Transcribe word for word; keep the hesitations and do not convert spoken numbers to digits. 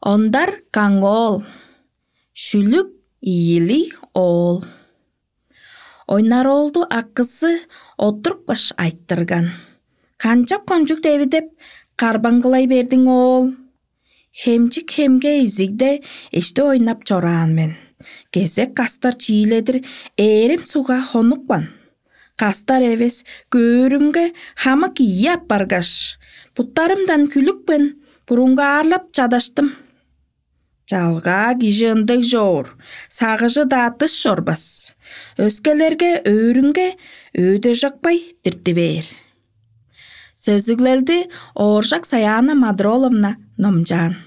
Ондар каңоол, шүлүк ийилиг оол. Ойнароолду акызы оттурупкаш айтырган: «Канчап кончуг девидеп, карбаңгылай бердиң, оол? Хемчик хемге изигде эшти ойнап чораан мен. Кезек кастар чииледир ээрим сугга хонупкан. Кастар эвес көөрүмге хамык ийи аппаргаш, буттарымдан хүлүпкен, бурунгаарлап чадаштым. Чалгаа кижи ындыг чоор, сагыжы-даа дыш чорбас. Өскелерге өөрүнге өөде чокпай дирти бээр». Сөзүглелди Ооржак Саяна Мадроловна номчаан.